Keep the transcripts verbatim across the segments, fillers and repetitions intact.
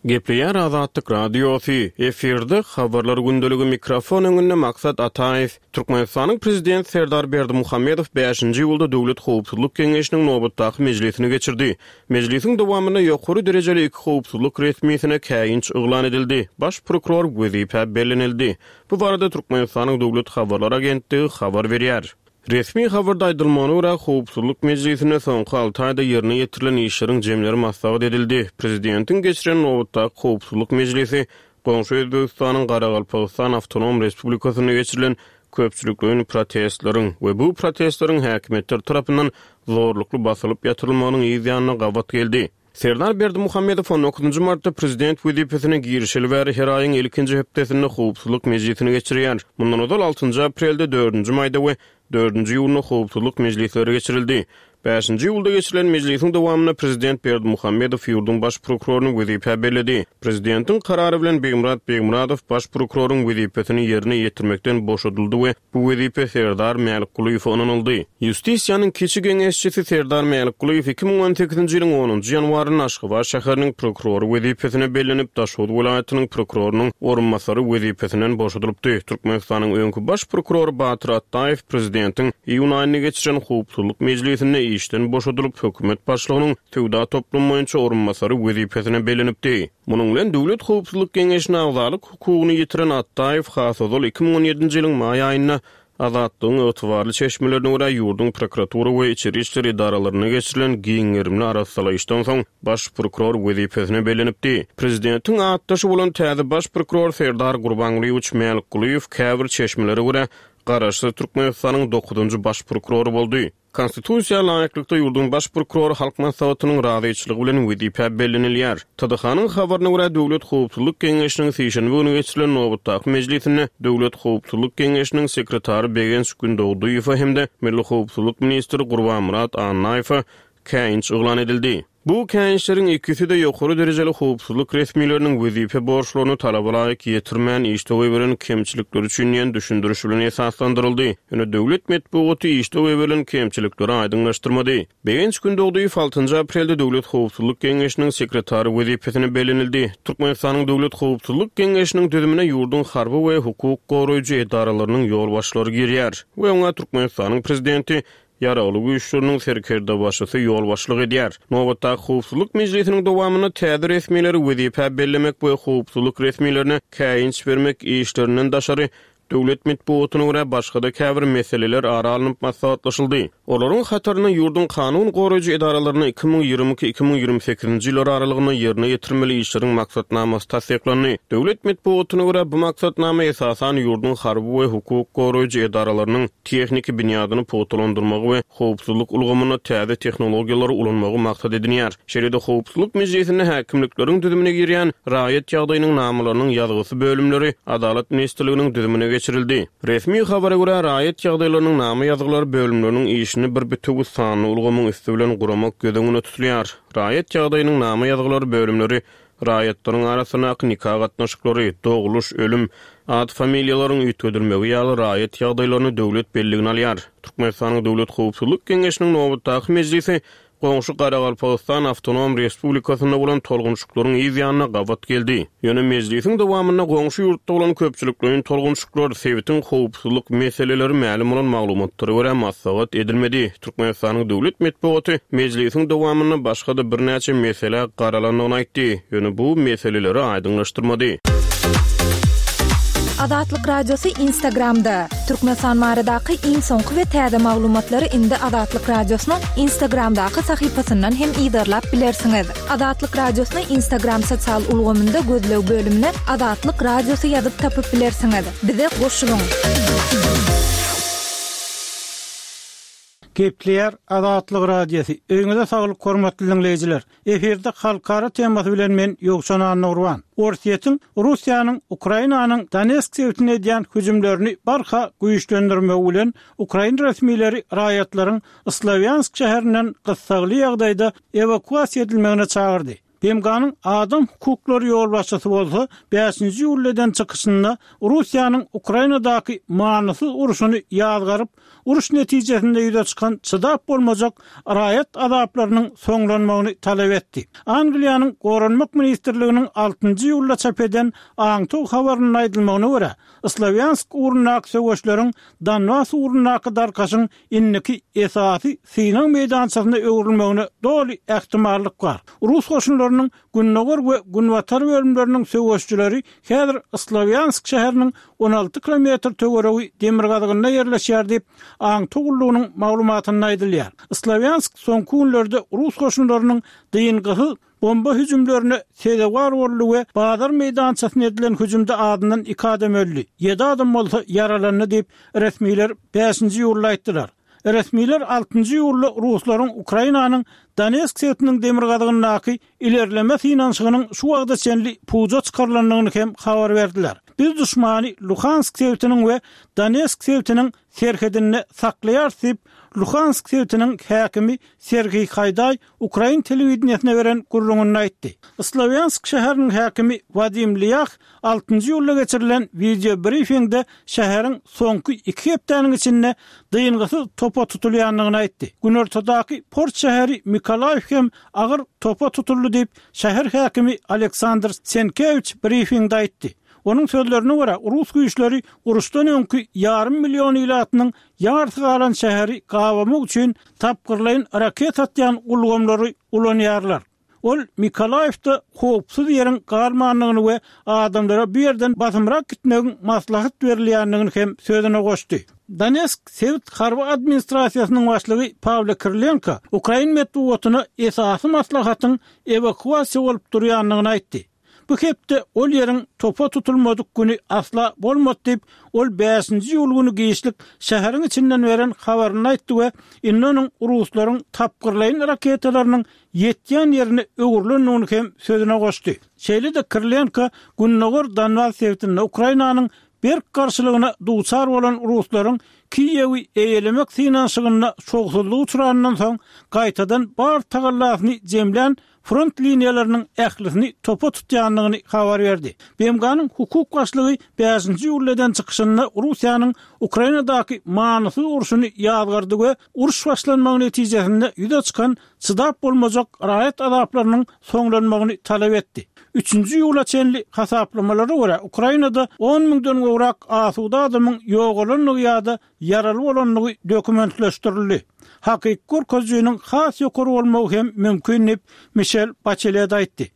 Gepleýär Azatlyk Radiosy, efirde Habarlar gündeligi, mikrofon öňünde Maksat Ataýew. Türkmenistanyň Prezidenti Serdar Berdimuhamedow bäşinji iýulda Döwlet howpsuzlyk geňeşiniň nobatdaky mejlisini geçirdi. Mejlisiň dowamynda ýokary derejeli iki howpsuzlyk resmisine käýinç yglan edildi, baş prokuror wezipä bellenildi. Bu barada Türkmenistanyň Döwlet habarlar agentligi habar berýär. Resmi habarda aýdylmagyna görä, howpsuzlyk mejlisinde soňky alty aýda ýerine ýetirilen işleriň jemleri maslahat edildi. Prezidentiň geçiren nobatdaky howpsuzlyk mejlisi goňşy Özbegistanyň Garagalpagystan awtonom respublikasynda geçirilen köpçülikleýin protestleriň we bu protestleriň häkimiýetler tarapyndan zorlukly basylyp ýatyrylmagynyň yz ýanyna gabat geldi. Serdar Berdimuhamedow on dokuzynjy martda prezident wezipesine girişeli bäri her aýyň ilkinji hepdesinde howpsuzlyk mejlisini geçirýär. Mundan ozal altynjy aprelde, dördünji maýda we dördünji iýunda howpsuzlyk mejlisleri geçirildi. Bäşinji iýulda geçirilen mejlisiň dowamynda prezident Berdimuhamedow ýurduň baş prokuroryny wezipä belledi. Prezidentiň karary bilen Begmyrat Begmyradow baş prokuroryň wezipesini ýerine ýetirmekden boşadyldy we bu wezipe Serdar Mälikgulyýewe ynanyldy. Ýustisiýanyň kiçi geňeşçisi Serdar Mälikgulyýew iki müň on sekizinji ýylyň onunjy ýanwarynda Aşgabat şäheriniň prokurory wezipesine bellenip, Daşoguz welaýatynyň prokurorynyň orunbasary wezipesinden boşadylypdy. Türkmenistanyň öňki baş prokurory Batyr Atdaýew prezidentiň iýun aýynda geçiren howpsuzlyk mejlisinde işden boşadylyp, hökümet başlygynyň söwda toplumy boýunça orunbasary wezipesine bellenipdi. Munuň bilen Döwlet howpsuzlyk geňeşine agzalyk hukugyny ýitiren Atdaýew has ozal iki müň on ýedinji ýylyň maý aýynda Azatlygyň ygtybarly çeşmelerine görä, ýurduň prokuratura we içeri işler edaralarynda geçirilen giň gerimli arassalaýyşdan soň baş prokuror wezipesine bellenipdi. Prezidentiň atdaşy bolan täze baş prokuror Serdar Gurbangulyýewiç Mälikgulyýew käbir çeşmelere görä, Garaşsyz Türkmenistanyň dokuzynjy baş prokurory boldy. Konstitusiýa laýyklykda, ýurduň Baş prokurory Halk Maslahatynyň razyçylygy bilen wezipä bellenilýär. T D H-nyň habaryna görä, Döwlet howpsuzlyk geňeşiniň sişenbe güni geçirilen nobatdaky mejlisinde Döwlet howpsuzlyk geňeşiniň sekretary Begenç Gündogdyýewe hem-de Milli howpsuzlyk ministri Gurbanmyrat Annaýewe käýinç yglan edildi. Bu käýinçleriň ikisi-de ýokary derejeli howpsuzlyk resmileriniň wezipe borçlaryny talaba laýyk ýetirmän işde goýberen kemçilikleri üçin diýen düşündiriş bilen esaslandyryldy. Ýöne döwlet metbugaty işde goýberilen kemçilikleri aýdyňlaşdyrmady. Begenç Gündogdyýew altynjy aprelde Döwlet howpsuzlyk geňeşiniň sekretary wezipesine bellenildi. Türkmenistanyň Döwlet howpsuzlyk geňeşiniň düzümine ýurduň harby we hukuk goraýjy edaralarynyň ýolbaşçylary girýär we oňa Türkmenistanyň Prezidenti, Ýaragly Güýçleriniň serkerdebaşysy ýolbaşçylyk edýär. Nobatdaky howpsuzlyk mejlisiniň dowamynda täze resmileri wezipä bellemek we howpsuzlyk resmilerine käýinç bermek işlerinden daşary, döwlet metbugatyna görä, başga-da käbir meseleler ara alnyp maslahatlaşyldy. Olaryň hatarynda ýurduň kanun goraýjy edaralaryna iki müň ýigrimi iki, iki müň ýigrimi sekizinji ýyllar aralygynda ýerine ýetirmeli işleriň maksatnamasy tassyklandy. Döwlet metbugatyna görä, bu maksatnama esasan ýurduň harby we hukuk goraýjy edaralarynyň tehniki binýadyny pugtalandyrmagy we howpsuzlyk ulgamynda täze tehnologiýalary ulanmagy maksat edinýär. Şeýle-de howpsuzlyk mejlisinde häkimlikleriň düzümine girýän raýat ýagdaýynyň namalarynyň ýazgysy bölümleri Adalat ministrliginiň düzümine geçirildi. Resmi habara görä, raýat ýagdaýlarynyň nama ýazgylary bölümleriniň işini bir bitewi sanly ulgamyň üsti bilen guramak göz öňünde tutulýar. Raýat ýagdaýynyň nama ýazgylary bölümleri raýatlaryň arasyndaky nika gatnaşyklary, dogluş, ölüm, at-familiýalaryň üýtgedilmegi ýaly raýat ýagdaýlaryny döwlet belligine alýar. Türkmenistanyň Döwlet howpsuzlyk geňeşiniň nobatdaky mejlisi goňşy Garagalpagystan awtonom respublikasynda bolan tolgunşyklaryň yz ýanyna gabat geldi. Ýöne mejlisiň dowamynda goňşy ýurtda bolan köpçülikleýin tolgunşyklar, sebitiň howpsuzlyk meseleleri mälim bolan maglumatlara görä maslahat edilmedi. Türkmenistanyň döwlet metbugaty mejlisiň dowamynda başga-da birnäçe meselä garalandygyny aýtdy, ýöne bu meseleleri aýdyňlaşdyrmady. Azatlyk Radiosy Instagramda. Türkmenistan baradaky iň soňky we täze maglumatlary indi Azatlyk Radiosynyň Instagramdaky sahypasyndan hem yzarlap bilersiňiz. Azatlyk Radiosyny Instagram sosial ulgamynda gözleg bölümine Azatlyk Radiosy ýazyp tapyp bilersiňiz. Bize goşulyň! Gepleýär Azatlyk Radiosy. Öýüňize saglyk hormatly diňleýjiler. Efirde halkara temasy bilen men Ýowşan Annagurban. Orsýetiň Russiýanyň Ukrainanyň Donetsk sebitine edýän hüjümlerini barha güýçlendirmegi bilen ukrain resmileri raýatlaryň Slowýansk şäherinden gyssagly ýagdaýda ewakuasiýa edilmegine çagyrdy. B M G-nyň adam hukuklary ýolbaşçysy bolsa bäşinji iýulda eden çykyşynda Russiýanyň Ukrainadaky manysyz urşuny ýazgaryp, uruş netijesinde ýüze çykan çydap bolmajak raýat azaplarynyň soňlanmagyny talap etdi. Angliýanyň Goranmak ministrliginiň altynjy iýulda çap eden aňtaw habarynda aýdylmagyna görä, Slawýansk ugrundaky söweşleriň Donbas ugrundaky darkaşyň indiki esasy synag meýdançasyna öwrülmegine doly ähtimallyk bar. Rus goşunlarynyň gündogar we günbatar bölümleriniň söweşçileri häzir Slawýansk şäheriniň on alty kilometr töweregi demirgazygynda ýerleşýär diýip, aňtaw gullugynyň maglumatynda aýdylýar. Slawýansk soňky günlerde rus goşunlarynyň dyngysyz bomba hüjümlerine sezewar boldy we bazar meýdançasyna edilen hüjümde azyndan iki adam öldi, ýedi adam bolsa ýaralandy diýip, resmiler bäşinji iýulda aýtdylar. Resmiler altynjy iýulda ruslaryň Ukrainanyň Donetsk sebitiniň demirgazygyndaky ilerleme synanyşygynyň şu wagta çenli puja çykarylandygyny hem habar berdiler. Biz duşmany Luhansk sebitiniň we Donetsk sebitiniň serhedinde saklaýarys diýip, Luhansk sebitiniň häkimi Serhiý Haýdaý ukrain telewideniýesine beren gürrüňinde aýtdy. Slawýansk şäheriniň häkimi Wadim Lýah altynjy iýulda geçirilen wideo brifingde şäheriň soňky iki hepdäniň içinde dyngysyz topa tutulýandygyny aýtdy. Günortadaky port şäheri Mikolaýew hem agyr topa tutuldy diýip, şäher häkimi Aleksandr Senkewiç brifingde aýtdy. Onuň sözlerine görä, rus güýçleri uruşdan öňki ýarym million ilatynyň ýarysy galan şäheri gabamak üçin tapgyrlaýyn raket atýan ulgamlary ulanýarlar. Ol Mikolaýewde howpsuz ýeriň galmandygyny we adamlara bu ýerden basymrak gitmegiň maslahat berilýändigini hem sözüne goşdy. Donetsk sebit harby administrasiýasynyň başlygy Pawlo Kirilenko ukrain metbugatyna esasy maslahatyň ewakuasiýa bolup durýandygyny aýtdy. Bu hepde ol ýeriň topa tutulmadyk güni asla bolmady diýip, ol bäşinji iýul güni giçlik şäheriň içinden beren habaryny aýtdy we indi onuň ruslaryň tapgyrlaýyn raketalarynyň ýetýän ýerine öwrülendigini hem sözüne goşdy. Şeýle-de Kirilenko Gündogar Donbas sebitinde Ukrainanyň berk garşylygyna duçar bolan ruslaryň Kiýewi eýelemek synanyşygynda şowsuzlyk uçrandan soň gaýtadan bar tagallasyny jemlän front liniýalarynyň ählisini topa tutýandygyny habar berdi. B M G-nyň hukuk başlygy bäşinji iýulda eden çykyşynda Russiýanyň Ukrainadaky manysyz urşuny ýazgardy we uruş başlanmagy netijesinde ýüze çykan çydap bolmajak raýat azaplarynyň soňlanmagyny talap etdi. Üçünji iýula çenli hasaplamalara görä, Ukrainada on müňden gowrak asuda adamyň ýogalandygy ýa-da ýaraly bolandygy dokumentleşdirildi. Hakyky görkezijiniň has ýokary bolmagy hem mümkin diýip, Mişel Baçelet aýtdy.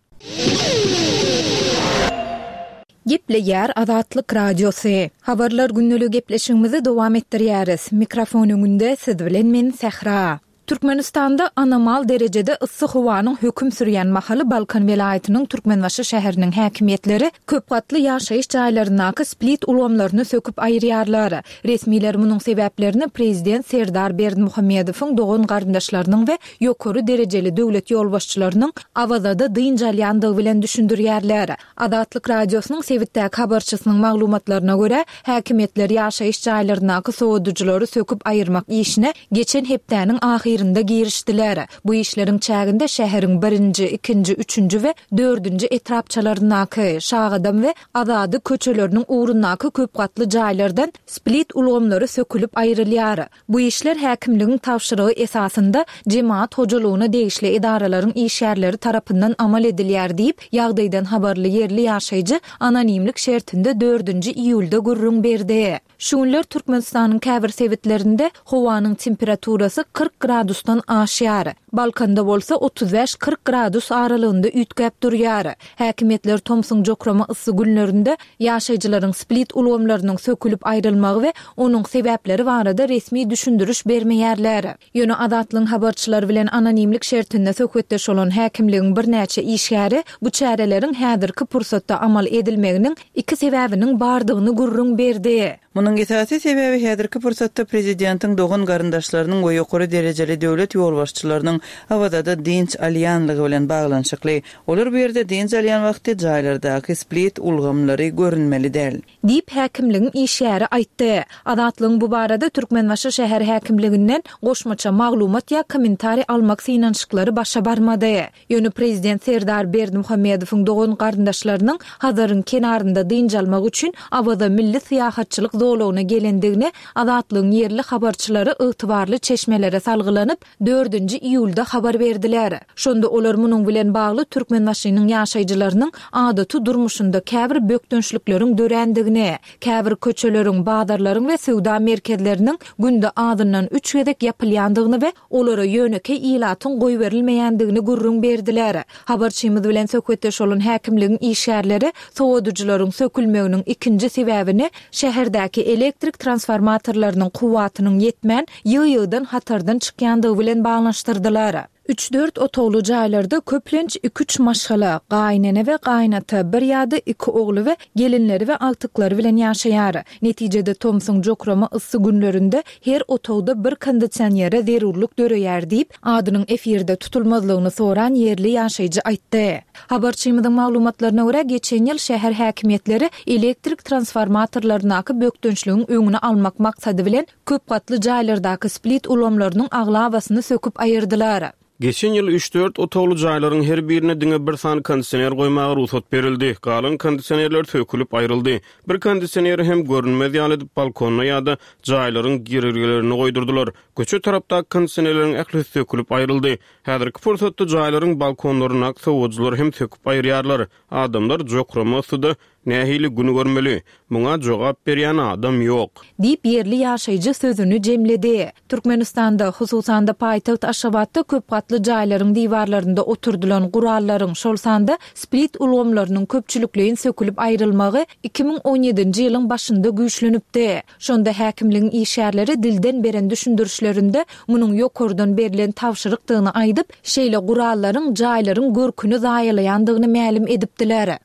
Gepleýär Azatlyk Radiosy. Habarlar gündeligi gepleşigimizi dowam etdirýäris. Mikrofon öňünde siz bilen men Sähra. Türkmenistanda anomal derejede yssy howanyň höküm sürýän mahaly Balkan welaýatynyň Türkmenbaşy şäheriniň häkimiýetleri köp gatly ýaşaýyş jaýlaryndaky split ulgamlaryny söküp aýyrýarlar. Resmiler munuň sebäplerini prezident Serdar Berdimuhamedowyň dogan garyndaşlarynyň we ýokary derejeli döwlet ýolbaşçylarynyň Awazada dynç alýandygy bilen düşündirýärler. Azatlyk Radiosynyň sebitdäki habarçysynyň maglumatlaryna görä, häkimiýetler ýaşaýyş jaýlaryndaky sowadyjylary söküp aýyrmak işine geçen hepdäniň ahyrynda girişdiler. Bu işleriň çäginde şäheriň birinji, ikinji, üçünji we dördünji etrapçalaryndaky, Şagadam we Azady köçeleriniň ugrundaky köp gatly jaýlardan split ulgamlary sökülip aýrylýar. Bu işler häkimligiň tabşyrygy esasynda jemaat hojalygyna degişli edaralaryň işgärleri tarapyndan amal edilýär diýip, ýagdaýdan habarly ýerli ýaşaýjy anonimlik şertinde dördünji iýulda gürrüň berdi. Şu günler Türkmenistanyň käbir sebitlerinde howanyň temperaturasy kyrk gradusdan aşýar. Balkanda bolsa otuz bäş-kyrk gradus aralygynda üýtgäp durýar. Häkimiýetler tomsuň jokrama yssy günlerinde ýaşaýjylaryň split ulgamlarynyň sökülip aýrylmagy we onuň sebäpleri barada resmi düşündiriş bermeýärler. Ýöne Azatlygyň habarçylary bilen anonimlik şertinde söhbetdeş bolan häkimligiň birnäçe işgäri bu çäreleriň häzirki pursatda amal edilmeginiň iki sebäbiniň bardygyny gürrüň berdi. Munuň esasy sebäbi häzirki pursatda prezidentiň dogan-garyndaşlarynyň we ýokary derejeli döwlet ýolbaşçylarynyň Awazada dynç alýanlygy bilen baglanyşykly. Olar bu ýerde dynç alýan wagty jaýlardaky split ulgamlary görünmeli däl. Diýip, häkimligiň işgäri aýtdy. Azatlygyň bu barada Türkmenbaşy şäher häkimliginden goşmaça maglumat ýa kommentariý almak synanyşyklary başa barmady. Ýöne prezident Serdar Berdimuhamedowyň dogan-garyndaşlarynyň Hazaryň kenarynda dynç almak üçin Awaza milli syýahatçylyk zolagyna gelendigini Azatlygyň ýerli habarçylary ygtybarly çeşmelere salgylanyp, dördünji iýulda habar berdiler. Şonda olar munuň bilen bagly Türkmenbaşynyň ýaşaýjylarynyň adaty durmuşynda käbir bökdençlikleriň dörändigini, käbir köçeleriň, bazarlaryň we söwda merkezleriniň günde azyndan üç gezek ýapylýandygyny we olara ýönekeý ilatyň goýberilmeýändigini gürrüň berdiler. Habarçymyz bilen söhbetdeş bolan häkimligiň işgärleri sowadyjylaryň sökülmeginiň ikinji sebäbini şäherdäki elektrik transformatorlarynyň kuwwatynyň ýetmän, ýygy-ýygydan hatardan çykýandygy bilen baglanyşdyrdylar. Üç-dört otagly jaýlarda köplenç iki-üç maşgala, gaýynene we gaýynata, bir ýa-da iki ogly we gelinleri we agtyklary bilen ýaşaýar. Netijede tomsuň jokrama yssy günlerinde her otagda bir kondisionere zerurlyk döreýär diýip, adynyň efirde tutulmazlygyny soran ýerli ýaşaýjy aýtdy. Habarçymyzyň maglumatlaryna görä, geçen ýyl şäher häkimiýetleri elektrik transformatorlaryndaky bökdençligiň öňüni almak maksady bilen, köp gatly jaýlardaky split ulgamlarynyň aglabasyny söküp aýyrdylar. Geçen ýyl üç-dört otagly jaýlaryň her birine diňe bir sany kondisioner goýmaga rugsat berildi. Galan kondisionerler sökülip aýryldy. Bir kondisioneri hem görünmez ýaly edip balkonda ýa-da jaýlaryň girelgelerinde goýdurdylar. Köçe tarapdaky kondisionerleriň ählisi sökülip aýryldy. Häzirki pursatda jaýlaryň balkonlaryndaky sowadyjylary hem söküp aýyrýarlar. Adamlar jokrama yssyda nähili gün görmeli? Muňa jogap berýän adam ýok. Diýip, ýerli ýaşaýjy sözüni jemledi. Türkmenistanda, hususan-da, paýtagt Aşgabatda köp gatly jaýlaryň diwarlarynda oturdylan gurallaryň, şol sanda split ulgamlarynyň köpçülikleýin sökülip aýrylmagy iki müň on ýedinji ýylyň başynda güýçlenipdi. Şonda häkimligiň işgärleri dilden beren düşündirişlerinde munuň ýokardan berlen tabşyrykdygyny aýdyp, şeýle gurallaryň jaýlaryň görküni zaýalaýandygyny mälim edipdiler.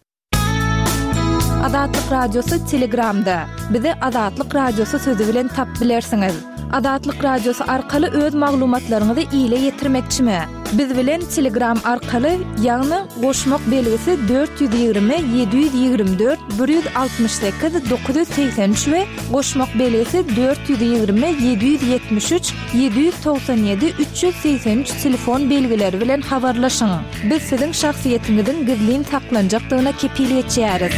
Azatlyk Radiosy Telegramda. Bizi Azatlyk Radiosy sözi bilen tapyp bilersiňiz. Azatlyk Radiosy arkaly öz maglumatlaryňyzy ile ýetirmekçimi? Biz bilen Telegram arkaly, ýagny goşmak belgisi dört ýüz ýigrimi ýedi ýüz ýigrimi dört bir ýüz altmyş sekiz dokuz ýüz segsen üç we goşmak belgisi dört ýüz ýigrimi ýedi ýüz ýetmiş üç ýedi ýüz togsan ýedi üç ýüz segsen üç telefon belgileri bilen habarlaşyň. Biz siziň şahsyýetiňiziň gizlin saklanjakdygyna kepil geçýäris.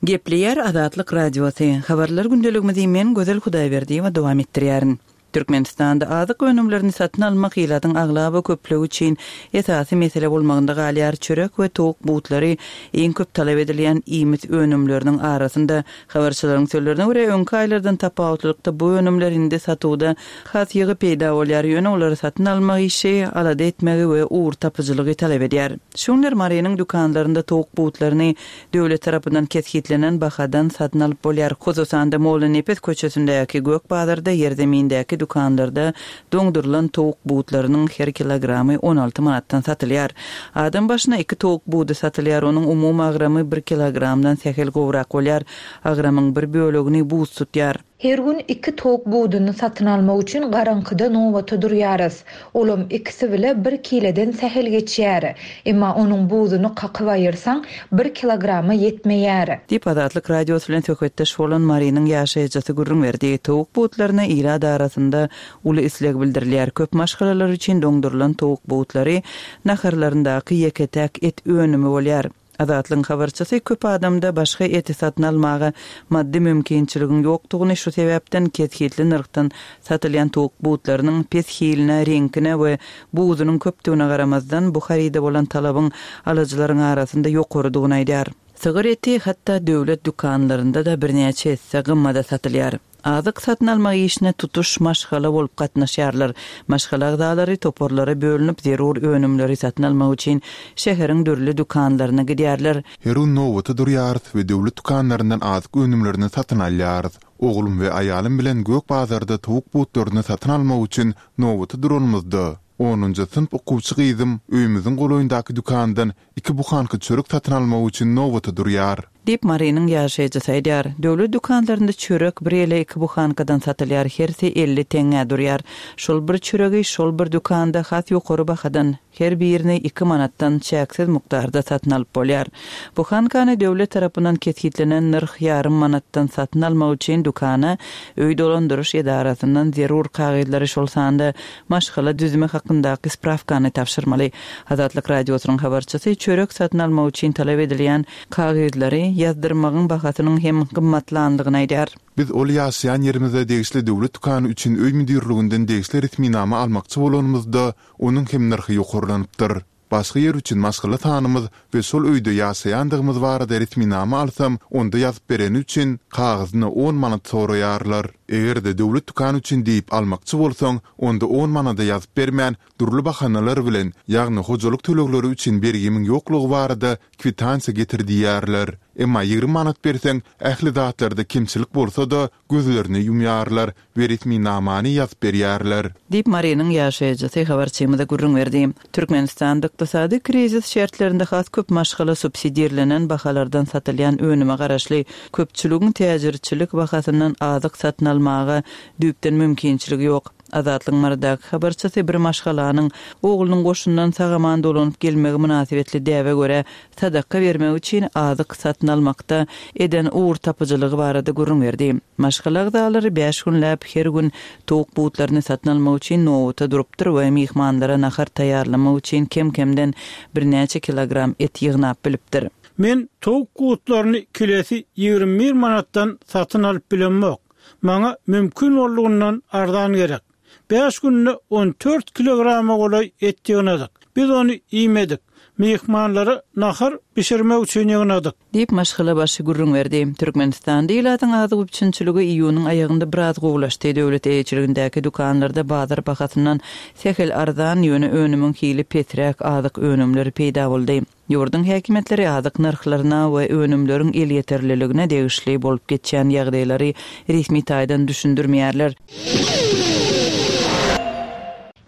Gepleýär Azatlyk Radiosy. Habarlar gündeligimizi men Gözel Hudaýberdiýewa dowam etdirýärin. Türkmenistanda azyk önümlerini satyn almak ilatyň aglaba köplügi üçin esasy mesele bolmagynda galýar. Çörek we towuk butlary iň köp talap edilýän iýmit önümleriniň arasynda. Habarçylaryň sözlerine görä, öňki aýlardan tapawutlylykda bu önümler indi satuwda has ýygy peýda bolýar, ýöne olary satyn almak işi alada etmegi we ugur tapyjylygy talap edýär. Şu günler Marynyň dükanlarynda towuk butlaryny döwlet tarapyndan kesgitlenen bahadan satyn alyp bolýar. Hususan-da, Mollanepes köçesindäki Gök bazarda, ýerzemindäki dükanlarda doňdurylan towuk butlarynyň her kilogramy on alty manatdan satylýar. Adam başyna iki towuk budy satylýar, onuň umumy agramy bir kilogramdan sähel gowrak bolýar. Agramyň bir bölegini buz tutýar. Her gün iki towuk buduny satyn almak üçin garaňkyda nobata durýarys. Olam ikisi bile bir kileden sähel geçýär. Emma onuň buzuny kakyp aýyrsaň, bir kilograma ýetmeýär. Diýip, Azatlyk Radiosy bilen söhbetdeş bolan Marynyň ýaşaýjysy gürrüň berdi. Towuk butlaryna ilat arasynda uly isleg bildirilýär. Köp maşgalalar üçin doňdurylan towuk butlary naharlaryndaky ýeke-täk et önümi bolýar. Azatlygyň habarçysy köp adamda başga eti satyn almaga maddy mümkinçiligiň ýokdugyny, şu sebäpden kesgitli nyrhdan satylýan towuk butlarynyň pes hiline, reňkine we buzunyň köpdügine garamazdan, bu haryda bolan talabyň alyjylaryň arasynda ýokarydygyny aýdýar. Sygyr eti hatda döwlet dükanlarynda-da birnäçe esse gymmada satylýar. Azyk satyn almak işine tutuş maşgala bolup gatnaşýarlar. Maşgala agzalary toparlara bölünip, zerur önümleri satyn almak üçin şäheriň dürli dükanlaryna gidýärler. Her gün nobata durýarys we döwlet dükanlaryndan azyk önümlerini satyn alýarys. Oglum we aýalym bilen Gök bazarda towuk butlaryny satyn almak üçin nobata duranymyzda, onunjy synp okuwçy gyzym öýümiziň golaýyndaky dükandan iki buhanka çörek satyn almak üçin nobata durýar. Diýip, Marynyň ýaşaýjysy aýdýar. Döwlet dükanlarynda çörek bir ýa iki buhankadan satylýar, hersi elli teňňä durýar. Şol bir çöregi şol bir dükanda has ýokary bahadan, her birini iki manatdan çäksiz mukdarda satyn alyp bolýar. Buhankany döwlet tarapyndan kesgitlenen nyrh ýarym manatdan satyn almak üçin dükana öý dolandyryş edarasyndan zerur kagyzlary şol sanda maşgala düzümi hakyndaky sprawkany tabşyrmaly. Azatlyk Radiosynyň habarçysy çörek satyn almak üçin talap edilýän kagyzlary ýazdyrmagyň bahasynyň hem gymmatlandygyny aýdýar. Biz ol ýaşaýan ýerimize degişli döwlet dükany üçin öý müdirliginden degişli resminama almakçy bolanymyzda, onuň hem nyrhy ýokarlanypdyr. Başga ýer üçin maşgala sanymyz we şol öýde ýaşaýandygymyz barada resminama alsam, onda ýazyp bereni üçin kagyzyna on manat soraýarlar. Eger-de döwlet dükany üçin diýip almakçy bolsaň, onda on manada ýazyp bermän, dürli bahanalar bilen, ýagny hojalyk tölegleri üçin bergimiň ýoklugy barada kwitansiýa getir diýýärler. Emma ýigrimi manat berseň, ähli zatlarda kemçilik bolsa-da, gözlerini ýumýarlar we resminamany ýazyp berýärler. Diýip, Marynyň ýaşaýjysy habarçymyza gürrüň berdi. Türkmenistanda ykdysady krizis şertlerinde has köp maşgala subsidirlenen bahalardan satylýan önüme garaşly köpçüligiň täjirçilik bahasyndan azyk satyn almaga düýpden mümkinçiligi ýok. Azatlygyň Marydaky habarçysy bir maşgalanyň oglunyň goşundan sag-aman dolanyp gelmegi mynasybetli däbe görä sadaka bermek üçin azyk satyn almakda eden ugur tapyjylygy barada gürrüň berdi. Maşgala agzalary bäş günläp her gün towuk butlaryny satyn almak üçin nowata durupdyr we myhmanlara nahar taýýarlamak üçin kem-kemden birnäçe kilogram et ýygnap bilipdir. Men towuk butlaryny kilesi ýigrimi bir manatdan satyn alyp bilemok. Maňa mümkin boldugyndan arzan gerek. Bäş günde on dört kilograma golaý et ýygnadyk. Biz ony iýmedik. Myhmanlara nahar bişirmek üçin ýygnadyk. Diýip maşgala başy gürrüň berdi. Türkmenistanda ilatyň azyk üpjünçiligi iýunyň aýagynda biraz gowulaşdy. Döwlet eýeçiligindäki dükanlarda bazar bahasyndan sähel arzan, ýöne önümiň hili pesräk azyk önümleri peýda boldy. Ýurduň häkimiýetleri azyk nyrhlaryna we önümleriň elýeterliligine degişli bolup geçýän ýagdaýlary resmi taýdan düşündirmeýärler.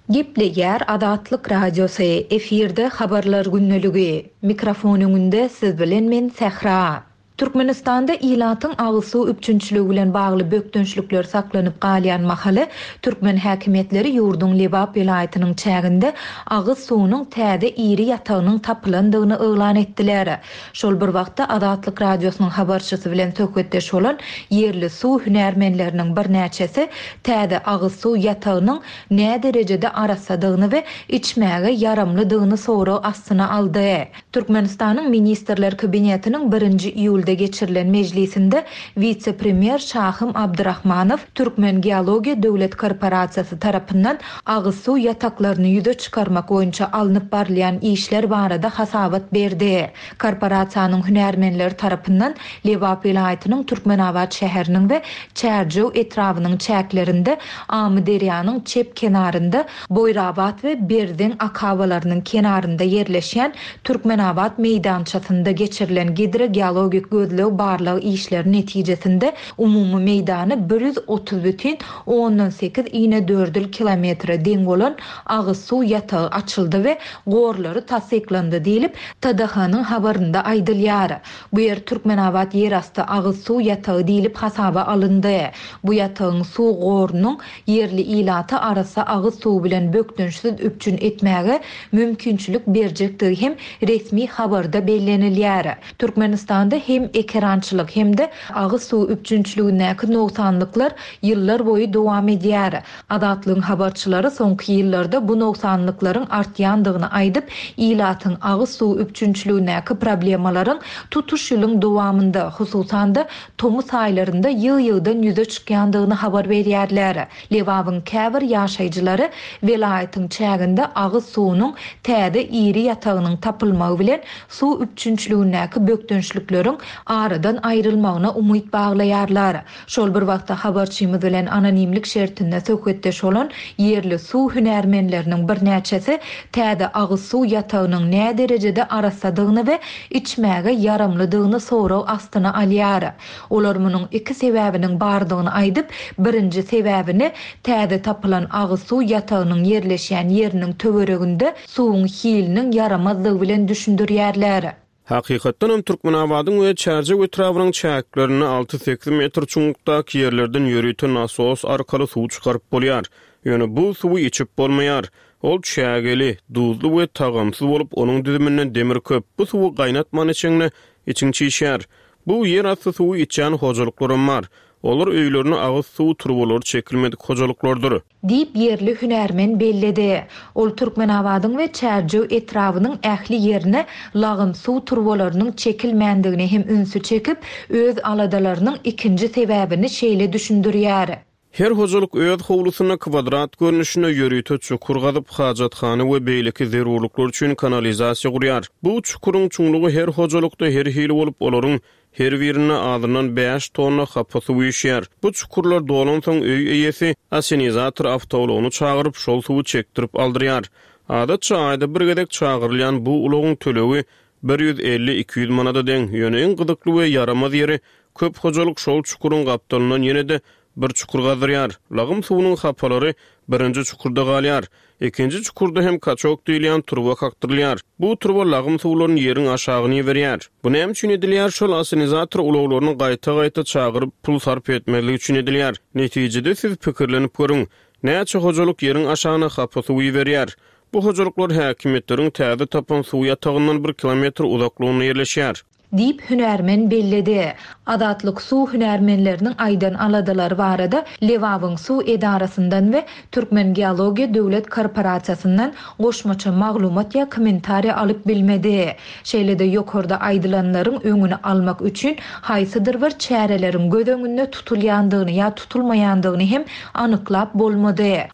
Gepleýär Azatlyk Radiosy, efirde habarlar gündeligi. Mikrofon öňünde siz bilen men Sähra. Türkmenistanda ilatyň agyz suw üpjünçiligi bilen bagly bökdençlikler saklanyp galýan mahaly türkmen häkimiýetleri ýurduň Lebap welaýatynyň çäginde agyz suwunyň täze iri ýatagynyň tapylandygyny yglan etdiler. Şol bir wagtda Azatlyk Radiosynyň habarçysy bilen söhbetdeş bolan ýerli suw hünärmenleriniň birnäçesi täze agyz suw ýatagynyň nä derejede arassadygyny we içmäge ýaramlydygyny sorag astyna aldy. Türkmenistanyň Ministrler Kabinetiniň birinji iýulda geçirilen mejlisinde wise-premýer Şahym Abdurrahmanow Türkmen Geologiýa Döwlet Korporasiýasy tarapyndan agyz suw ýataklaryny ýüze çykarmak boýunça alnyp barylýan işler barada hasabat berdi. Korporasiýanyň hünärmenleri tarapyndan Lebap welaýatynyň Türkmenabat şäheriniň we Çärjew etrabynyň çäklerinde Amyderýanyň çep kenarynda Boýrabat we Berzeň akabalarynyň kenarynda ýerleşýän Türkmenabat meýdançasynda geçirilen gidrogeologik gözleg barlag işleri netijesinde umumy meýdany bir ýüz otuz bütin ondan sekiz inedördül kilometre deň bolan agyz suw ýatagy açyldy we gorlary tassyklandy diýlip T D H-nyň habarynda aýdylýar. Bu ýer Türkmenabat ýerasty agyz suw ýatagy diýlip hasaba alyndy. Bu ýatagyň suw gorunyň ýerli ilaty arassa agyz suwy bilen bökdençsiz üpjün etmäge mümkinçilik berjekdigi hem resmi habarda bellenilýär. Türkmenistanda hem ekerançylyk hem de agyz suw üpjünçiligindäki nogsanlyklar ýyllar boýy dowam edýär. Azatlygyň habarçylary soňky ýyllarda bu nogsanlyklaryň artýandygyny aýdyp, ilatyň agyz suw üpjünçiligindäki problemalaryň tutuş ýylyň dowamynda, hususan-da tomus aýlarynda ýygy-ýygydan ýüze çykýandygyny habar berýärler. Lebabyň käbir ýaşaýjylary welaýatyň çäginde agyz suwunyň täze iri ýatagynyň tapylmagy bilen suw üpjünçiligindäki bökdençlikleriň aradan aýrylmagyna umyt baglaýarlar. Şol bir wagtda habarçymyz bilen anonimlik şertinde söhbetdeş bolan ýerli suw hünärmenleriniň birnäçesi täze agyz suw ýatagynyň nä derejede arassadygyny we içmäge ýaramlydygyny sorag astyna alýar. Olar munuň iki sebäbiniň bardygyny aýdyp, birinji sebäbini täze tapylan agyz suw ýatagynyň ýerleşýän ýeriniň töwereginde suwuň hiliniň ýaramazlygy bilen düşündirýärler. Hakykatdanam Türkmenabadyň we Çärjew etrabynyň çäklerinde alty-sekiz metr çuňlukdaky ýerlerden ýörite nasos arkaly suw çykaryp bolýar. Ýöne bu suwy içip bolmaýar. Ol çägeli, duzly we tagamsyz bolup, onuň düzüminde demir köp. Bu suwy gaýnatman içeňde içiň çişýär. Bu ýerasty suwy içýän hojalyklaram bar. Olar öýlerine agyz suw turbalary çekilmedik hojalyklardyr. Diýip, ýerli hünärmen belledi. Ol Türkmenabadyň we Çärjew etrabynyň ähli ýerine lagym suw turbalarynyň çekilmändigine hem ünsi çekip, öz aladalarynyň ikinji sebäbini şeýle düşündirýär. Her hojalyk öz howlusynda kwadrat görnüşinde ýörite çukur gazyp, hajathana we beýleki zerurlyklar üçin kanalizasiýa gurýar. Bu çukuryň çuňlugy her hojalykda her hili bolup, olaryň her birinde azyndan bäş tonna hapa suw üýşýär. Bu çukurlar dolansoň öý eýesi asenizator awtoulagyny çagyryp, şol suwy çekdirip aldyrýar. Adatça aýda bir gezek çagyrylýan bu ulagyň tölegi bir ýüz elli-iki ýüz manada deň. Ýöne iň gyzykly we ýaramaz ýeri, köp hojalyk şol çukuryň gapdalyndan ýene-de bir çukur gazdyrýar. Lagym suwunyň hapalary birinji çukurda galýar. Ikinji çukurda hem kaçok diýilýän turba kakdyrylýar. Bu turba lagym suwlaryny ýeriň aşagyny iberýär. Bu näme üçin edilýär? Şol asenizator ulaglaryny gaýta-gaýta çagyryp pul sarp etmezlik üçin edilýär. Netijede siz pikirlenip görüň. Näçe hojalyk ýeriň aşagyna hapa suw iberýär? Bu hojalyklar häkimiýetleriň täze tapan suw ýatagyndan bir kilometr uzaklygynda ýerleşýär. Diýip, hünärmen belledi. Azatlyk suw hünärmenleriniň aýdan aladalary barada Lebabyň suw edarasyndan we Türkmengeologiýa döwlet korporasiýasyndan goşmaça maglumat ýa kommentariýa alyp bilmedi. Şeýle-de ýokarda aýdylanlaryň öňüni almak üçin haýsydyr bir çäreleriň göz öňünde tutulýandygyny ýa tutulmaýandygyny hem anyklap bolmady.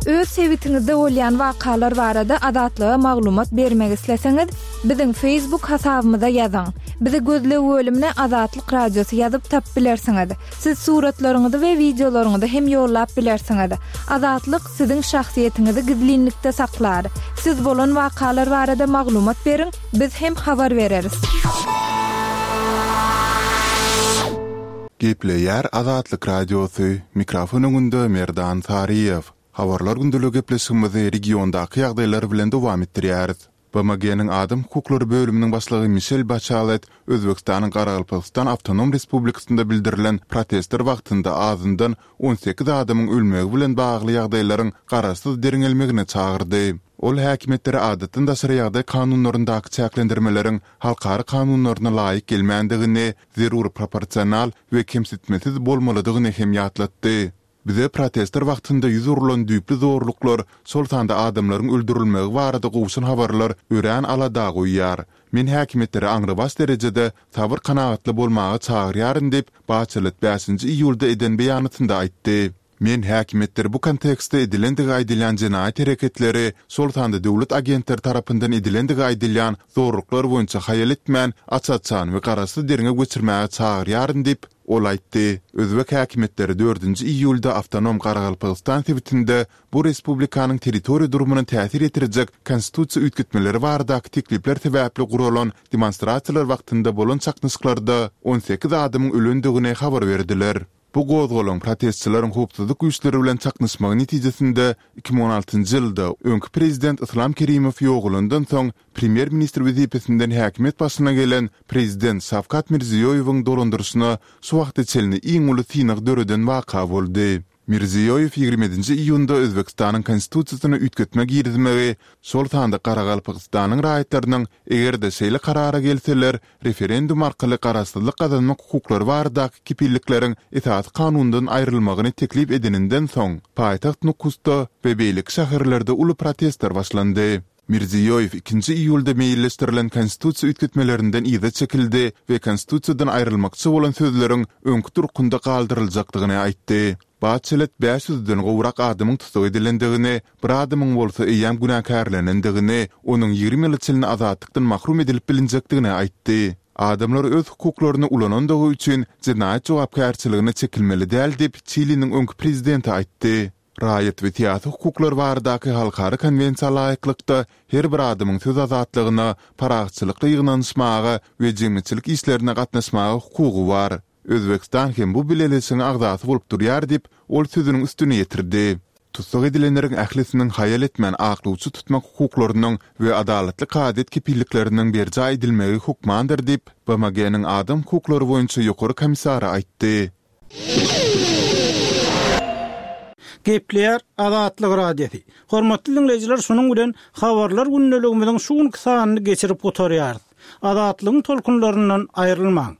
Öz sebitiňizde bolýan wakalar barada Azatlyga maglumat bermek isleseňiz, biziň Facebook hasabymyza ýazyň. Bizi gözleg bölümine Azatlyk Radiosy ýazyp tap bilersiňiz. Siz suratlaryňyzy we wideolaryňyzy hem ýollap bilersiňiz. Azatlyk siziň şahsyýetiňizi gizlinlikde saklar. Siz bolan wakalar barada maglumat beriň, biz hem habar bereris. Gepleýär Azatlyk Radiosy, mikrofon öňünde Merdan Saryýew. Habarlar gündeligi gepleşigimizi regiondaky ýagdaýlar bilen dowam etdirýäris. B M G-niň Adam hukuklary bölüminiň başlygy Mişel Baçalet Özbekistanyň Garagalpagystan Awtonom Respublikasynda bildirilen protestler wagtynda azyndan on sekiz adamyň ölmegi bilen bagly ýagdaýlaryň garaşsyz derňelmegine çagyrdy. Ol häkimiýetleri adatdan daşary ýagdaý kanunlaryndaky çäklendirmeleriň halkara kanunlaryna laýyk gelmändigini, zerur proporsional we kemsitmesiz bolmalydygyny hem ýatlatdy. Bize protestler wagtynda ýüz urulan düýpli zorluklar, şol sanda adamlaryň öldürilmegi barada gowşan habarlar örän alada goýýar. Men häkimiýetleri aňrybaş derejede sabyr kanagatly bolmaga çagyrýaryn diýip, Baçelet bäşinji iýulda eden beýanatynda aýtdy. Men häkimiýetleri bu kontekstde edilendigi aýdylýan jenaýat hereketleri, şol sanda döwlet agentleri tarapyndan edilendigi aýdylýan zorluklar boýunça haýal etmän, aç-açan we garaşsyz derňew geçirmäge çagyrýaryn diýip, ol aýtdy. Özbek häkimiýetleri dördünji iýulda Awtonom Garagalpagystan sebitinde bu respublikanyň territoriýa durumyna täsir ýetirjek konstitusiýa üýtgetmeleri baradaky teklipler sebäpli guralan demonstrasiýalar wagtynda bolan çaknyşyklarda on sekiz adamyň ölendigini habar berdiler. Bu gozgalaň protestçileriň howpsuzlyk güýçleri bilen çaknyşmagy netijesinde iki müň on altynjy ýylda öňki prezident Islam Kerimow ýogalandan soň premýer-ministr wezipesinden häkimiýet başyna gelen prezident Şawkat Mirziýoýewiň dolandyryşyna şu wagta çenli iň uly synag döreden waka boldy. Mirziýoýew ýigrimi ýedinji iýunda Özbekistanyň konstitusiýasyna üýtgetme girizmegi, şol sanda Garagalpagystanyň raýatlarynyň eger-de şeýle karara gelseler, referendum arkaly garaşsyzlyk gazanmak hukuklary baradaky kepillikleriň esasy kanundan aýrylmagyny teklip edeninden soň, paýtagt Nukusda we beýleki şäherlerde uly protestler başlandy. Mirziýoýew ikinji iýulda meýilleşdirilen konstitusiýa üýtgetmelerinden yza çekildi we konstitusiýadan aýrylmakçy bolan sözleriň öňki durkunda galdyryljakdygyny aýtdy. Baçelet bäş ýüzden gowrak adamyň tussag edilendigini, bir adamyň bolsa eýýäm günäkärlenendigini, onuň ýigrimi ýyla çenli azatlykdan mahrum edilip bilinjekdigini aýtdy. Adamlar öz hukuklaryny ulanandygy üçin jenaýat jogapkärçiligine çekilmeli däl diýip, Çiliniň öňki prezidenti aýtdy. Raýat we syýasy hukuklar baradaky halkara konwensiýa laýyklykda her bir adamyň söz azatlygyna, parahatçylykly ýygnanyşmaga we jemgyýetçilik işlerine gatnaşmaga hukugy bar. Özbekistan hem bu bileleşigiň agzasy bolup durýar diýip, ol sözüniň üstüni ýetirdi. Tussag edilenleriň ählisiniň haýal etmän aklawçy tutmak hukuklarynyň we adalatly kazyýet kepillikleriniň berjaý edilmegi hökmandyr diýip, BMG-niň Adam hukuklary boýunça Ýokary komissary aýtdy. Gepleýär Azatlyk Radiosy. Hormatly diňleýjiler, şunuň bilen Habarlar gündeligimiziň şu günki sanyny geçirip gutarýarys. Azatlygyň tolkunlaryndan aýrylmaň.